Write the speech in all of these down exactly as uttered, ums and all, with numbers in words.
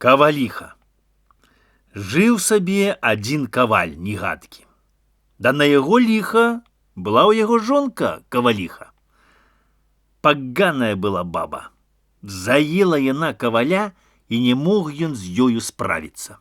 Каваліха. Жыў сабе адзін каваль негадкі. Да на яго ліха была ў яго жонка каваліха. Паганая была баба. Заела яна каваля, і не мог ён з ёю справіцца.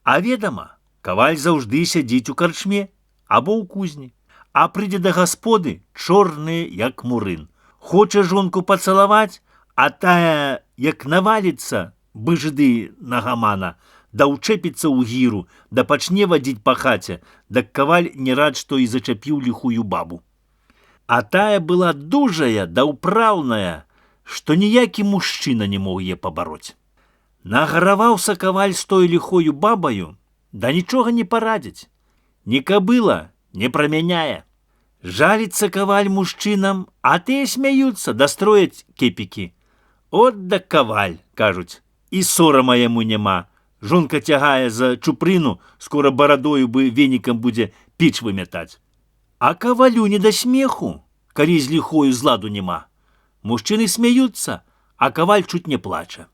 А ведама, каваль заўжды сядзіць у карчме або ў кузні, а прыйдзе да гасподы чорны, як мурын. Хоча жонку пацалаваць, а тая, як наваліцца, быжды на гамана, да ўчэпіцца ў гіру, да пачне вадзіць па хаце, дак каваль не рад, што і зачапіў ліхую бабу. А тая была дужая да ўпраўная, што ніякі мужчына не мог яе пабароць. Нагараваўся каваль з той ліхою бабаю, да нічога не парадзіць. Ні кабыла не прамяняе. Жаліцца каваль мужчынам, а тыя смяюцца, да строяць кепікі. От да каваль, кажуць, і сорама яму няма. Жонка цягае за чупрыну, скора барадою бы венікам будзе печ вымятаць. А кавалю не да смеху, калі з ліхою зладу няма. Мужчыны смяюцца, а каваль чуць не плача.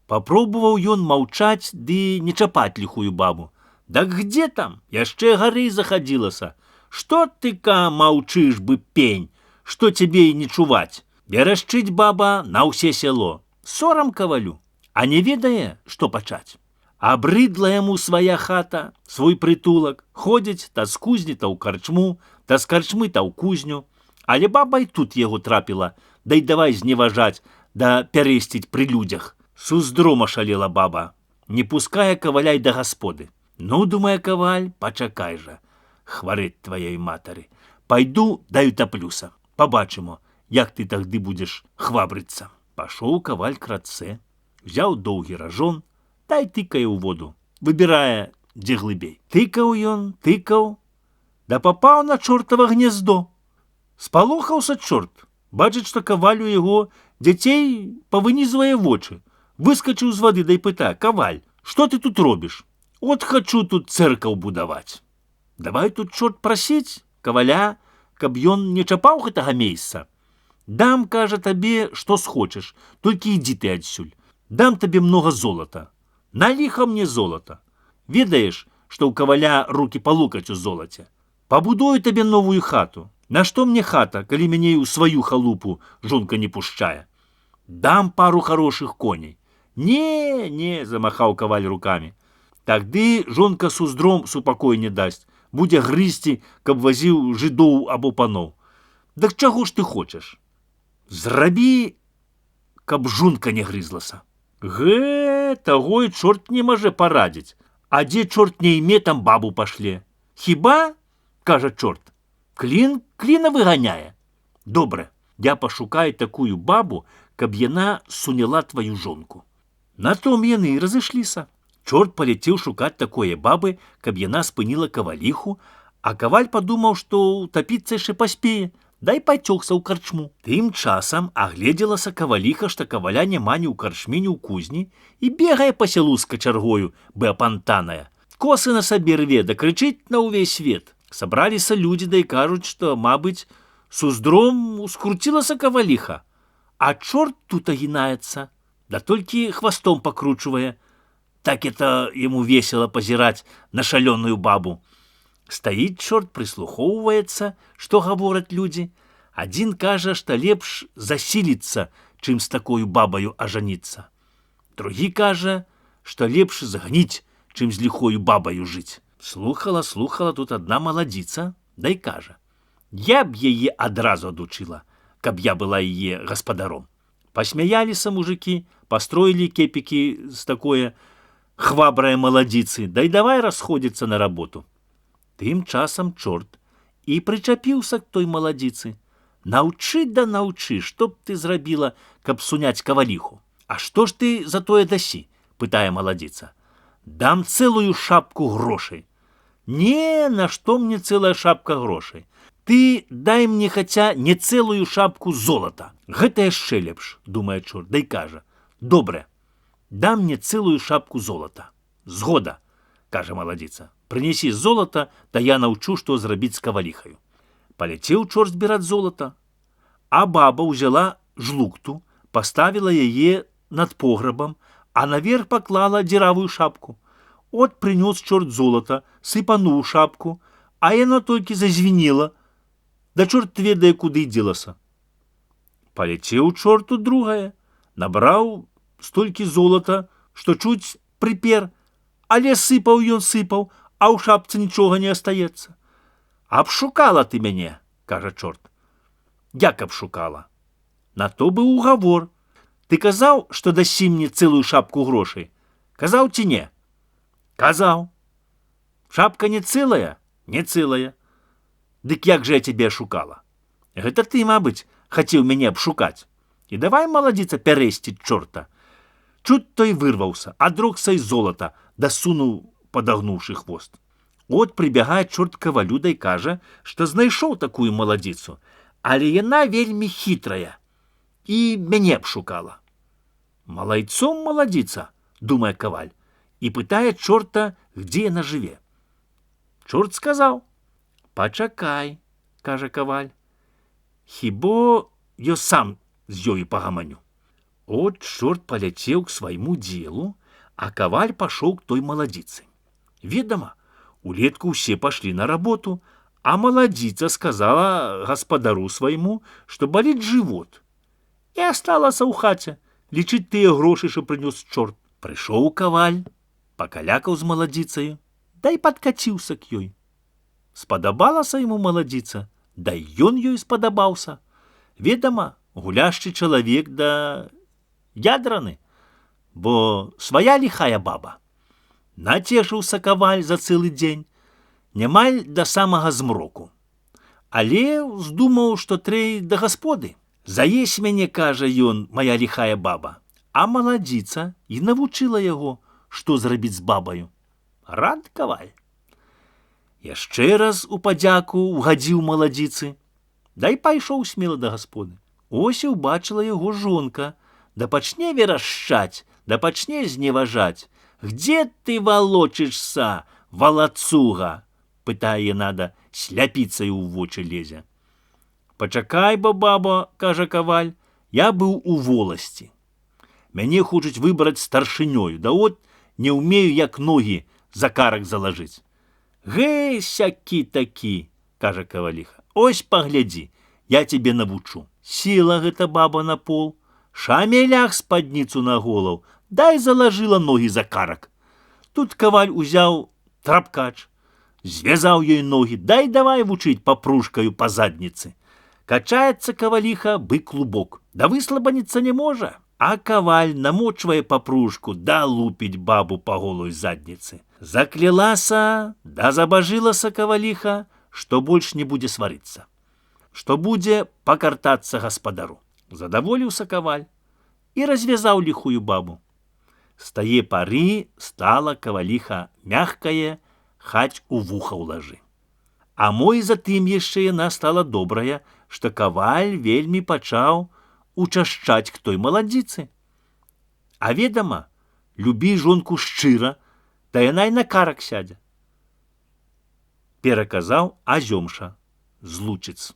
Папробаваў ён маўчаць ды не чапаць ліхую бабу. Дак где там? Яшчэ гары захадзілася. Што ты, ка, маўчыш бы пень? Што цябе і не чуваць? Верашчыць баба на ўсе сяло. Сорам кавалю, а не ведае, што пачаць. Абрыдла яму свая хата, свой прытулак. Ходзіць та з кузні та ў карчму, та з карчмы та ў кузню. Але баба і тут яго трапіла, да й давай зневажаць, да пярэсціць пры людзях. Суздрома шалела баба, не пускае каваля й да гасподы. Ну, думае каваль, пачакай жа, хварэць тваёй матары. Пайду да утаплюся, пабачымо, як ты тагды будзеш хвабрыцца. Пашоў каваль к рацэ, взяў доўгі ражон, та й тыкае ў воду, выбірае, дзе глыбей. Тыкаў ён, тыкаў, да папаў на чортава гнездо. Спалохаўся чорт, бачыць, што каваль у яго дзяцей павынізвае вочы. Выскачыў з вады, да й пытае: каваль, што ты тут робіш? От хачу тут цэркаў будаваць. Давай тут чорт прасіць каваля, каб ён не чапаў гэтага месца. Дам, кажа, табе, што схочаш, толькі ідзі ты адсюль. Дам табе многа золата. На ліха мне золата. Ведаеш, што ў каваля рукі па локаць у золаце. Пабудую табе новую хату. Нашто мне хата, калі мяне ў сваю халупу жонка не пушчае? Дам пару хорошых коней. Не, не, замахаў каваль рукамі. Тагды жонка суздром супакой не дасць, будзе грызці, каб вазіў жыдоў або паноў. Дак чаго ж ты хочаш? Зрабі, каб жонка не грызлася. Гэ, таго і чорт не можа парадзіць. А дзе чорт не іме, там бабу пашле. Хіба, кажа чорт, клін кліна выганяе. Добра, я пашукаю такую бабу, каб яна суняла тваю жонку. На том яны і разышліся. Чорт паляцеў шукаць такое бабы, каб яна спыніла каваліху, а каваль падумаў, што ўтапіцца яшчэ паспее, дай пацёгся ў карчму. Тым часам агледзелася каваліха, што каваля няма ні ў карчме, ні ў кузні, і бегае па сялу з качаргою, бы апантаная. Косы на сабе рве, да крычыць на ўвесь свет. Сабраліся людзі, да і кажуць, што, мабыць, суздром ускруцілася каваліха. А чорт тут агінаецца, да толькі хвастом пакручвае. Так это ему весело пазіраць на шалёную бабу. Стаіць чорт, прыслухоўваецца, што гавораць людзі. Адзін кажа, што лепш засіліцца, чым з такою бабаю ажаніцца. Другі кажа, што лепш згніць, чым з ліхою бабаю жыць. Слухала, слухала тут адна маладзіца, да і кажа: я б яе адразу адучыла, каб я была яе гаспадаром. Пасмяяліся мужыкі, пастроілі кепікі з такое хвабрае маладзіцы, да і давай расходзіцца на работу. Тым часам чорт і прычапіўся к той маладзіцы. Наўчы да наўчы, што б ты зрабіла, каб суняць каваліху? А што ж ты за тое дасі? Пытае маладзіца. Дам цэлую шапку грошай. Не, нашто мне цэлая шапка грошай? Ты дай мне хаця не цэлую шапку золата. Гэта яшчэ лепш, думае чорт, да і кажа: добра, дам мне цэлую шапку золата. Згода, кажа маладзіца. Прынесі золата, да я наўчу, што зрабіць з каваліхаю. Паляцеў чорт збіраць золата, а баба ўзяла жлукту, паставіла яе над пограбам, а наверх поклала дзіравую шапку. От принес чорт золата, сыпануў шапку, а яно толькі зазвенела, да чорт ведае, куды дзелася. Паляцеў чорт у другае, набраў столькі золата, што чуць прыпер, але сыпаў ён сыпаў, а ў шапцы нічога не астаецца. «Абшукала ты мяне», – кажа чорт. «Як абшукала? На то быў угавор. Ты казаў, што дасі мне цэлую шапку грошай? Казаў ці не?» «Казаў». «Шапка не цэлая?» «Не цэлая». «Дык як жа я цябе ашукала?» «Гэта ты, мабыць, хацеў мяне абшукаць. І давай, маладзіца, пярэсціць чорта». Чуць той вырваўся, адрокся й золата, дасунуў, падагнуўшы хвост. От прыбягае чорт кавалю да й кажа, што знайшоў такую маладзіцу, але яна вельмі хітрая і мяне абшукала. «Малайцом маладзіца», – думае каваль, і пытае чорта, дзе яна жыве. Чорт сказаў: «Пачакай», – кажа каваль, «хіба я сам з ёю пагаманю». От чорт паляцеў к свайму дзелу, а каваль пашоў к той маладзіцы. Ведама, улетку ўсе пашлі на работу, а маладзіца сказала гаспадару свайму, што баліць жывот. І асталася ў хаце лічыць тыя грошы, што прынёс чорт. Прыйшоў каваль, пакалякаў з маладзіцаю, да і падкаціўся к ёй. Спадабалася яму маладзіца, да і ён ёй спадабаўся. Ведама, гуляшчы чалавек да ядраны, бо свая ліхая баба. Нацешыўся каваль за цэлы дзень, нямаль да самага змроку. Але ўздумаў, што трэй да гасподы. «Заесь мяне, кажа ён, мая ліхая баба». А маладзіца і навучыла яго, што зрабіць з бабаю. Рад каваль. Яшчэ раз у падзяку угадзіў маладзіцы, да і пайшоў смела да гасподы. Ось і ўбачыла яго жонка, да пачне верашчаць, да пачне зневажаць. «Где ты волочишься, волоцуга?» – пытае яна, да сляпіцаю ў вочы лезе. «Пачакай, бо, баба», – кажа каваль, – «я быў у воласці. Мяне хочуць выбраць старшынёю, да от не ўмею, як ногі за карак залажыць». «Гэй, сякі-такі», – кажа каваліха, «ось паглядзі, я цябе навучу». Села гэта баба на пол, шамелях спадніцу на голаў, дай залажыла ногі за карак. Тут каваль узяў трапкач, звязаў ёй ногі, дай давай вучыць папружкаю па задніцы. Качаецца каваліха, бы клубок, да выслабаніцца не можа. А каваль намочвае папружку, да лупіць бабу па голой задніцы. Заклялася, да забажылася каваліха, што больш не будзе сварыцца, што будзе пакартацца гаспадару. Задаволіўся каваль і развязаў ліхую бабу. З тае пары стала каваліха мягкае, хаць у вуха ўлажы. А мо і затым яшчэ яна стала добрая, што каваль вельмі пачаў учашчаць к той маладзіцы. А ведама, любі жонку шчыра, та яна і на карак сядзе. Пераказаў Азёмша з Лучыц.